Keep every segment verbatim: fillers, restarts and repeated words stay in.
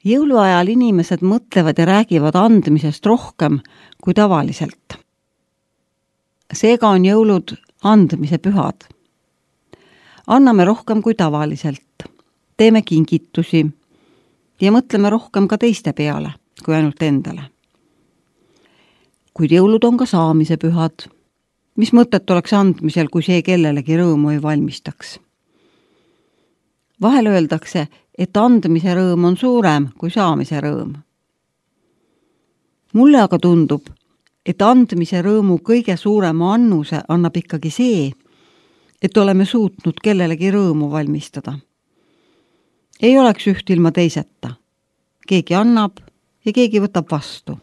Jõuluajal inimesed mõtlevad ja räägivad andmisest rohkem kui tavaliselt. Seega on jõulud andmise pühad. Anname rohkem kui tavaliselt, teeme kingitusi ja mõtleme rohkem ka teiste peale kui ainult endale. Kuid jõulud on ka saamise pühad. Mis mõtet oleks andmisel, kui see kellelegi rõõmu ei valmistaks? Vahel öeldakse, et andmise rõõm on suurem kui saamise rõõm. Mulle aga tundub, et andmise rõõmu kõige suurema annuse annab ikkagi see, et oleme suutnud kellelegi rõõmu valmistada. Ei oleks üht ilma teiseta. Keegi annab ja keegi võtab vastu.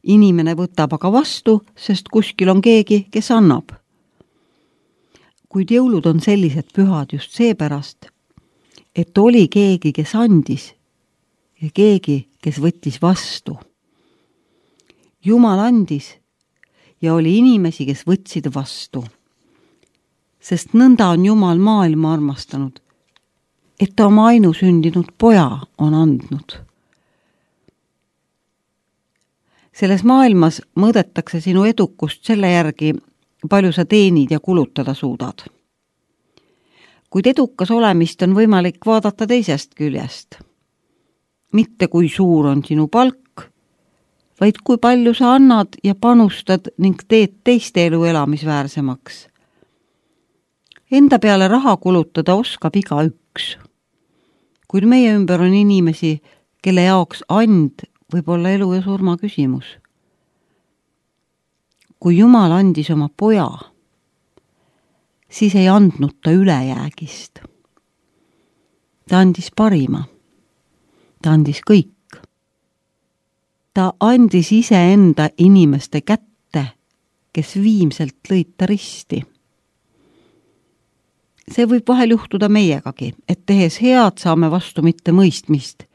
Inimene võtab aga vastu, sest kuskil on keegi, kes annab. Kuid jõulud on sellised pühad just seepärast, et oli keegi, kes andis ja keegi, kes võttis vastu. Jumal andis ja oli inimesi, kes võtsid vastu. Sest nõnda on Jumal maailma armastanud, et ta oma ainusündinud poja on andnud. Selles maailmas mõõdetakse sinu edukust selle järgi, palju sa teenid ja kulutada suudad. Kuid edukas olemist on võimalik vaadata teisest küljest. Mitte kui suur on sinu palk, vaid kui palju sa annad ja panustad ning teed teiste elu elamisväärsemaks. Enda peale raha kulutada oskab iga üks. Kuid meie ümber on inimesi, kelle jaoks and võib olla elu ja surma küsimus. Kui Jumal andis oma poja, siis ei andnud ta ülejäägist. Ta andis parima. Ta andis kõik. Ta andis iseenda inimeste kätte, kes viimselt lõid ta risti. See võib vahel juhtuda meiegagi, et tehes head saame vastu mitte mõistmist,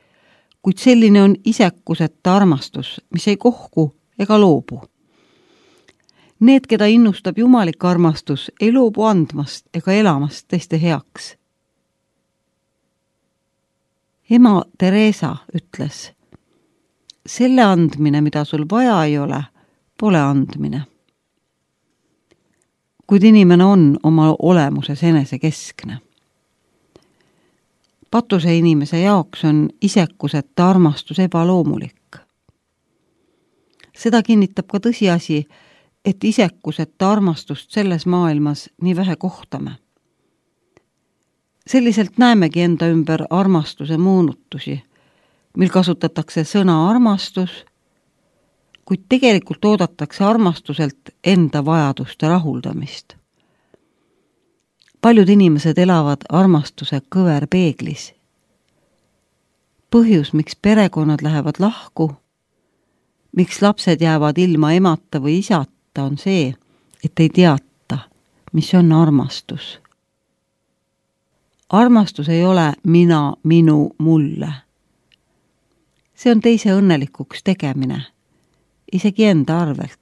kuid selline on isekuseta armastus, mis ei kohku ega loobu. Need, keda innustab jumalik armastus, ei loobu andmast ega elamast teiste heaks. Ema Teresa ütles, selle andmine, mida sul vaja ei ole, pole andmine. Kuid inimene on oma olemuses enesekeskne. Patuse inimese jaoks on isekuseta armastus ebaloomulik. Seda kinnitab ka tõsiasi, et isekuseta armastust selles maailmas nii vähe kohtame. Selliselt näemegi enda ümber armastuse moonutusi, mil kasutatakse sõna armastus, kuid tegelikult oodatakse armastuselt enda vajaduste rahuldamist. Paljud inimesed elavad armastuse kõverpeeglis. Põhjus, miks perekonnad lähevad lahku, miks lapsed jäävad ilma emata või isata, on see, et ei teata, mis on armastus. Armastus ei ole mina, minu, mulle. See on teise õnnelikuks tegemine, isegi enda arvelt.